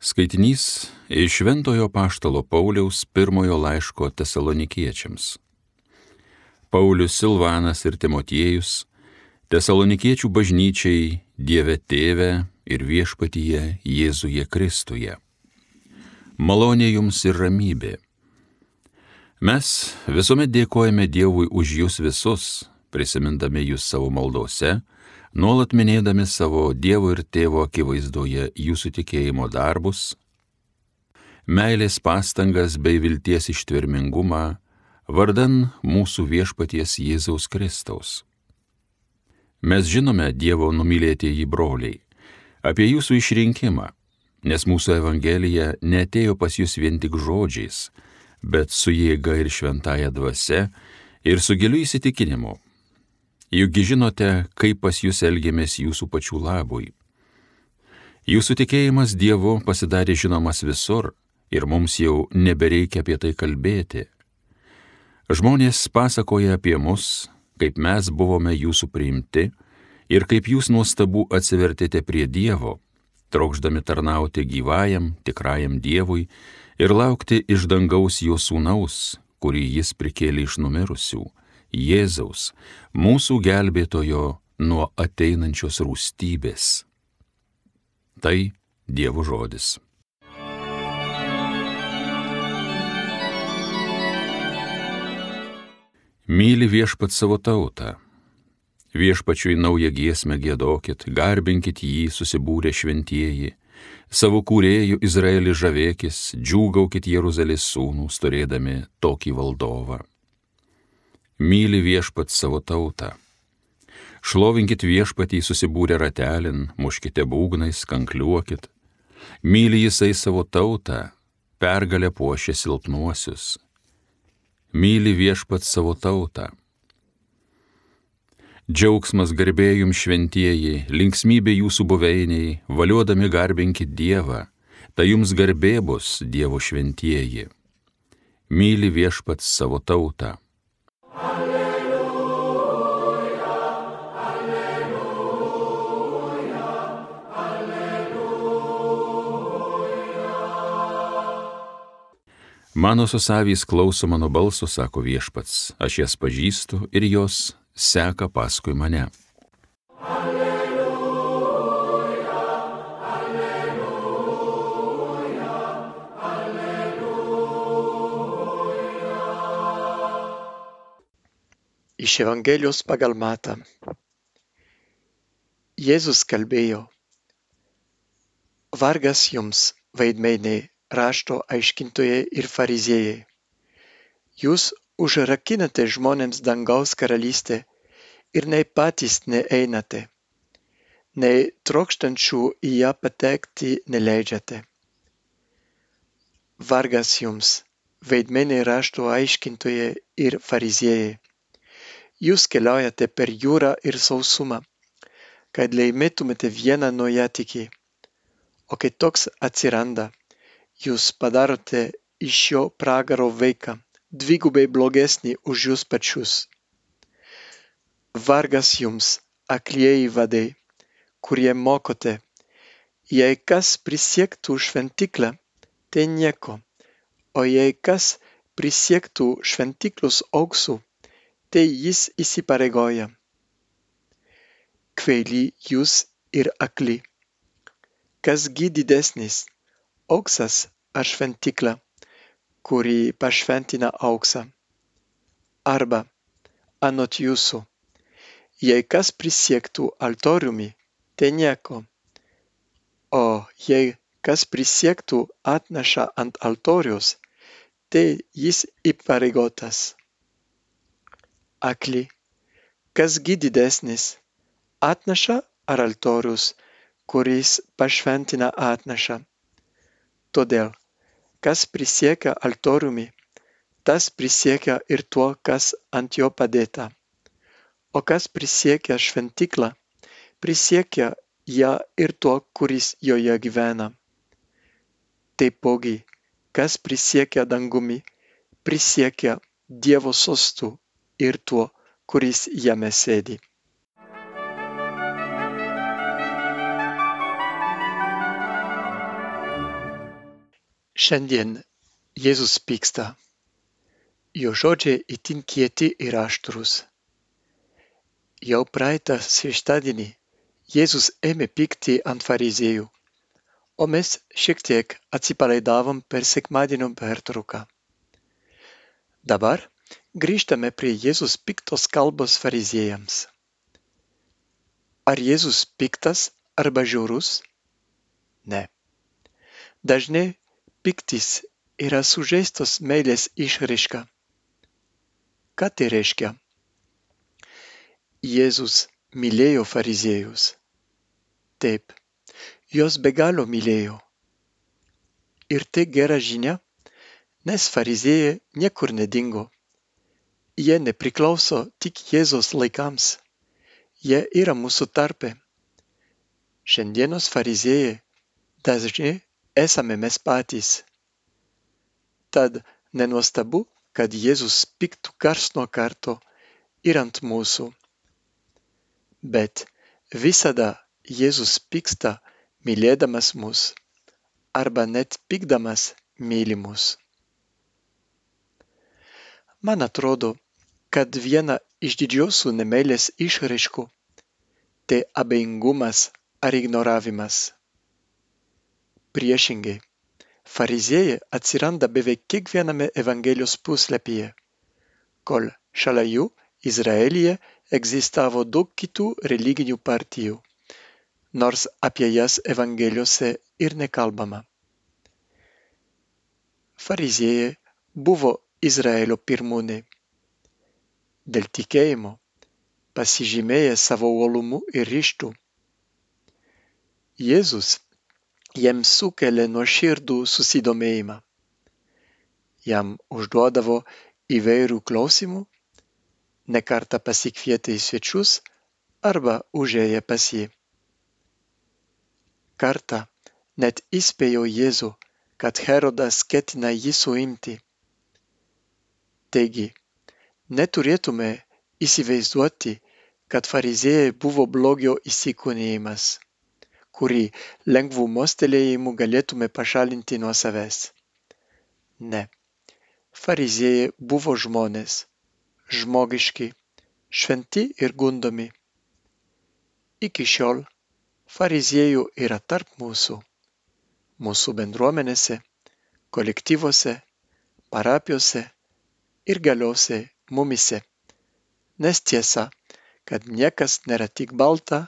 Skaitinys iš Šventojo apaštalo Pauliaus pirmojo laiško Tesalonikiečiams. Paulius, Silvanas ir Timotiejus, Tesalonikiečių bažnyčiai Dieve Tėve ir Viešpatyje Jėzuje Kristuje. Malonė jums ir ramybė. Mes visuomet dėkojame Dievui už jūs visus, prisimindami jūs savo maldose, nuolat minėdami savo Dievo ir Tėvo akivaizdoje jūsų tikėjimo darbus, meilės pastangas bei vilties ištvermingumą vardan mūsų Viešpaties Jėzaus Kristaus. Mes žinome, Dievo numylėtieji broliai, apie jūsų išrinkimą, nes mūsų evangelija neatėjo pas jūs vien tik žodžiais, bet su jėga ir šventąja dvasia ir su giliu įsitikinimu. Juk žinote, kaip pas jūs elgiamės jūsų pačių labui. Jūsų tikėjimas Dievu pasidarė žinomas visur ir mums jau nebereikia apie tai kalbėti. Žmonės pasakoja apie mus, kaip mes buvome jūsų priimti ir kaip jūs nuostabu atsivertėte prie Dievo, trokšdami tarnauti gyvajam, tikrajam Dievui ir laukti iš dangaus jo sūnaus, kurį jis prikėlė iš numirusių, Jėzaus, mūsų gelbėtojo nuo ateinančios rūstybės. Tai Dievo žodis. Myli viešpat savo tautą. Viešpačiui naują giesmę giedokit, garbinkit jį susibūrę šventieji. Savo kūrėjų Izraelį žavėkis, džiūgaukit Jeruzalės sūnūs, turėdami tokį valdovą. Myli viešpat savo tautą. Šlovinkit viešpatį susibūrę ratelin, muškite būgnais, kankliuokit. Myli jisai savo tautą, pergalę puošia silpnuosius. Myli viešpat savo tautą. Džiaugsmas garbė jums šventieji, linksmybė jūsų buveiniai, valiodami garbinkit Dievą, tai jums garbė bus Dievo šventieji. Myli viešpat savo tautą. Mano susavys klauso mano balso, sako viešpats, aš jas pažįstu ir jos seka paskui mane. Alleluja, alleluja, alleluja. Iš Evangelijos pagal Matą. Jėzus kalbėjo: Vargas jums, veidmainiai, rašto aiškintojai ir fariziejai. Jūs užrakinate žmonėms dangaus karalystę ir nei patys neeinate, nei trokštančių į ją patekti neleidžiate. Vargas jums, veidmainiai rašto aiškintojai ir fariziejai. Jūs keliaujate per jūrą ir sausumą, kad laimėtumėte vieną nuojatikį, o kai toks atsiranda, jūs padarote iš jo pragaro vaiką, dvigubai blogesnį už jūs pačius. Vargas jums, aklieji vadai, kurie mokote, jei kas prisiektų šventyklą, tai nieko, o jei kas prisiektų šventyklos auksu, tai jis įsipareigoja. Kvaili jūs ir akli. Kas gi didesnis, auksas ar šventykla, kuri pašventina auksą? Arba, anot jūsų, jei kas prisiektų altoriumi, tai nieko, o jei kas prisiektų atnašą ant altoriaus, tai jis įpareigotas. Akli, kas gi didesnis, atnaša ar altorius, kuris pašventina atnašą? Todėl, kas prisiekia altoriumi, tas prisiekia ir tuo, kas ant jo padėta. O kas prisiekia šventyklą, prisiekia ją ir tuo, kuris joje gyvena. Taipogi, kas prisiekia dangumi, prisiekia Dievo sostu ir tuo, kuris jame sėdi. Šiandien Jėzus pyksta. Jo žodžiai itin kieti ir aštrūs. Jau praeitą šeštadienį Jėzus ėmė pykti ant fariziejų, o mes šiek tiek atsipalaidavom per sekmadienio pertrauką. Dabar grįžtame prie Jėzus piktos kalbos fariziejams. Ar Jėzus piktas arba žiaurus? Ne. Dažnai piktis yra sužeistos meilės išraiška. Ką tai reiškia? Jėzus mylėjo fariziejus. Taip, juos be galo mylėjo. Ir tai gera žinia, nes fariziejai niekur nedingo. Jie nepriklauso tik Jėzaus laikams. Jie yra mūsų tarpe. Šiandienos fariziejai dažnai esame mes patys. Tad nenuostabu, kad Jėzus piktų karts nuo karto ir ant mūsų. Bet visada Jėzus pyksta mylėdamas mus, arba net pykdamas myli mus. Man atrodo, kad viena iš didžiausių nemeilės išraiškų tai abejingumas ar ignoravimas. Priešingai, fariziejai atsiranda beveik kiekviename Evangelijos puslapyje, kol šalia jų Izraelyje egzistavo daug kitų religinių partijų, nors apie jas Evangelijose ir nekalbama. Fariziejai buvo Izraelio pirmūnai. Dėl tikėjimo pasižymėję savo uolumu ir ryžtu. Jėzus jiems sukelia nuoširdų susidomėjimą. Jam užduodavo įvairių klausimų, ne kartą pasikvietė į svečius arba užėjo pas jį. Kartą net įspėjo Jėzų, kad Herodas ketina jį suimti. Taigi, neturėtume įsivaizduoti, kad fariziejai buvo blogio įsikūnijimas, kurį lengvų mostelėjimų galėtume pašalinti nuo savęs. Ne, fariziejai buvo žmonės, žmogiški, šventi ir gundomi. Iki šiol fariziejų yra tarp mūsų bendruomenėse, kolektyvuose, parapijose ir galiausiai mumyse, nes tiesa, kad niekas nėra tik balta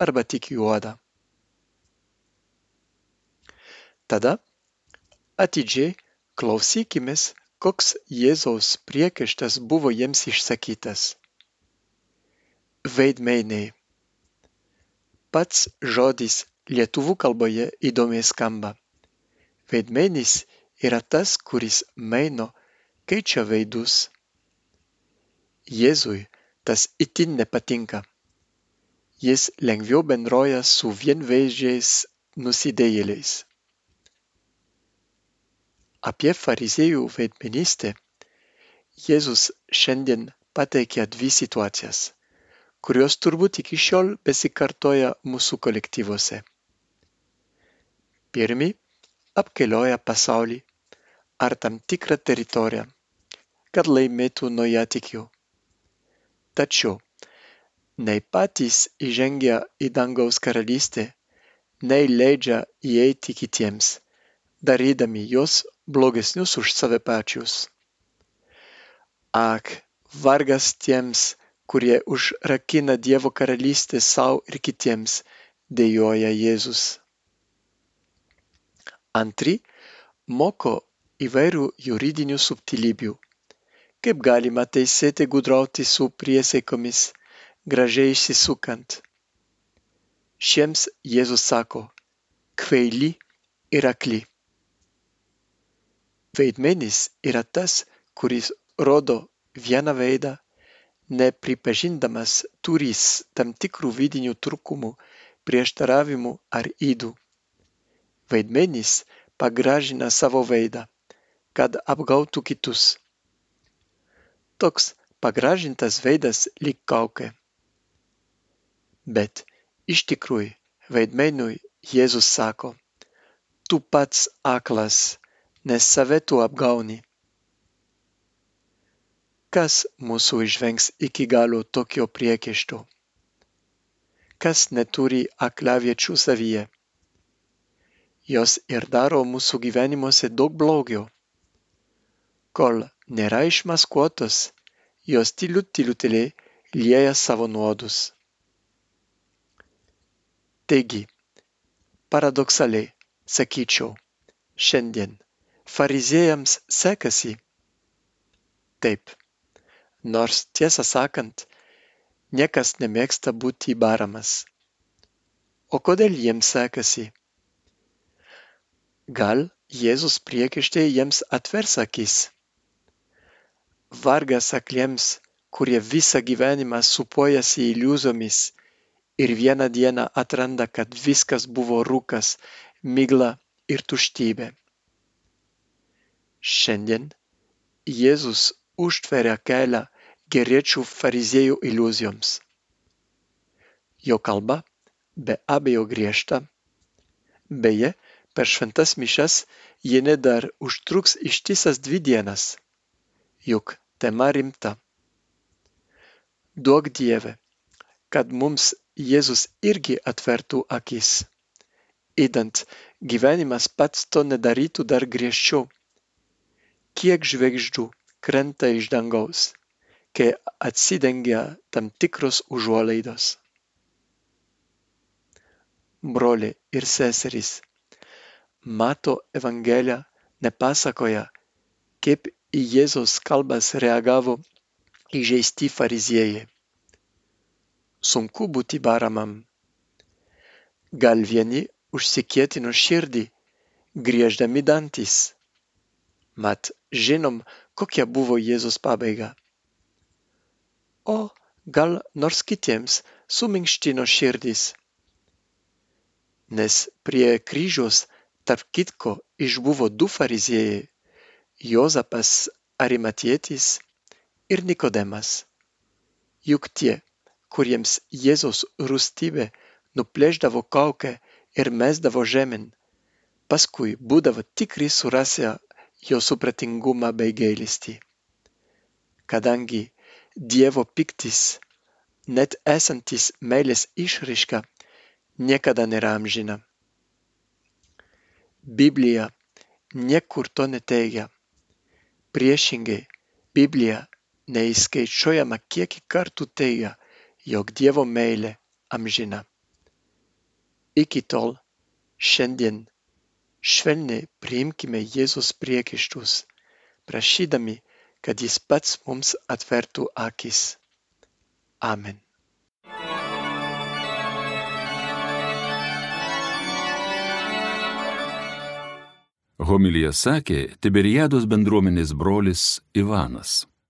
arba tik juoda. Tada atidžiai klausykimės, koks Jėzaus priekaištas buvo jiems išsakytas. Veidmainiai. Pats žodis lietuvių kalboje įdomiai skamba. Veidmainis yra tas, kuris maino, keičia veidus. Jėzui tas itin nepatinka. Jis lengviau bendrauja su vienveidžiais nusidėjėliais. Apie fariziejų veidmainystę Jėzus šiandien pateikia dvi situacijas, kurios turbūt iki šiol besikartoja mūsų kolektyvuose. Pirmi apkelioja pasaulį ar tam tikrą teritoriją, kad laimėtų naujatikių. Tačiau nei patys įžengia į dangaus karalystę, nei leidžia įeiti kitiems, darydami juos blogesnius už save pačius. Ak, vargas tiems, kurie užrakina Dievo karalystę sau ir kitiems, dejuoja Jėzus. Antri moko įvairių juridinių subtilybių. Kaip galima teisėtai gudrauti su priesaikomis, gražiai išsisukant. Šiems Jėzus sako, kvaili ir akli. Veidmainis yra tas, kuris rodo vieną veidą, nepripažindamas turįs tam tikrų vidinių trūkumų, prieštaravimų ar ydų. Veidmainis pagražina savo veidą, kad apgautų kitus. Toks pagražintas veidas lyg kaukė. Bet iš tikrųjų veidmainiui Jėzus sako, tu pats aklas, nes save tu apgauni. Kas mūsų išvengs iki galo tokio priekaišto? Kas neturi aklaviečių savyje? Jos ir daro mūsų gyvenimuose daug blogio. Kol nėra išmaskuotos, jos tylutėliai lieja savo nuodus. Taigi, paradoksaliai, sakyčiau, šiandien fariziejams sekasi. Taip, nors tiesą sakant, niekas nemėgsta būti baramas. O kodėl jiems sekasi? Gal Jėzus priekaištai jiems atvers akis? Vargas akliems, kurie visą gyvenimą supojasi iliuzijomis ir vieną dieną atranda, kad viskas buvo rūkas, migla ir tuštybė. Šiandien Jėzus užtveria kelią geriečių fariziejų iliuzijoms. Jo kalba be abejo griežta. Beje, per šventas mišias ji net dar užtruks ištisas 2 dienas. Juk tema rimta. Duok Dieve, kad mums Jėzus irgi atvertų akis. Idant gyvenimas pats to nedarytų dar griežčiau. Kiek žvaigždžių krenta iš dangaus, kai atsidengia tam tikros užuolaidos. Broliai ir seserys, Mato Evangelija nepasakoja, kaip į Jėzaus kalbas reagavo įžeisti fariziejai. Sunku būti baramam. Gal vieni užsikietino širdį, grieždami dantis. Mat žinom, kokia buvo Jėzus pabaiga. O gal nors kitiems suminkštino širdis. Nes prie kryžiaus tarp kitko išbuvo 2 fariziejai – Jozapas Arimatietis ir Nikodemas. Juk tie, kuriems Jėzaus rūstybė nuplėšdavo kaukę ir mesdavo žemėn, paskui būdavo tikri surasę jo supratingumą bei gailestį. Kadangi Dievo pyktis, net esantis meilės išraiška, niekada nėra amžina. Biblija niekur to neteigia. Priešingai, Biblija neįskaičiuojama kiekį kartų teigia, jog Dievo meilė amžina. Iki tol, šiandien, švelniai priimkime Jėzus priekaištus, prašydami, kad jis pats mums atvertų akis. Amen. Homiliją sakė Tiberiados bendruomenės brolis Ivanas.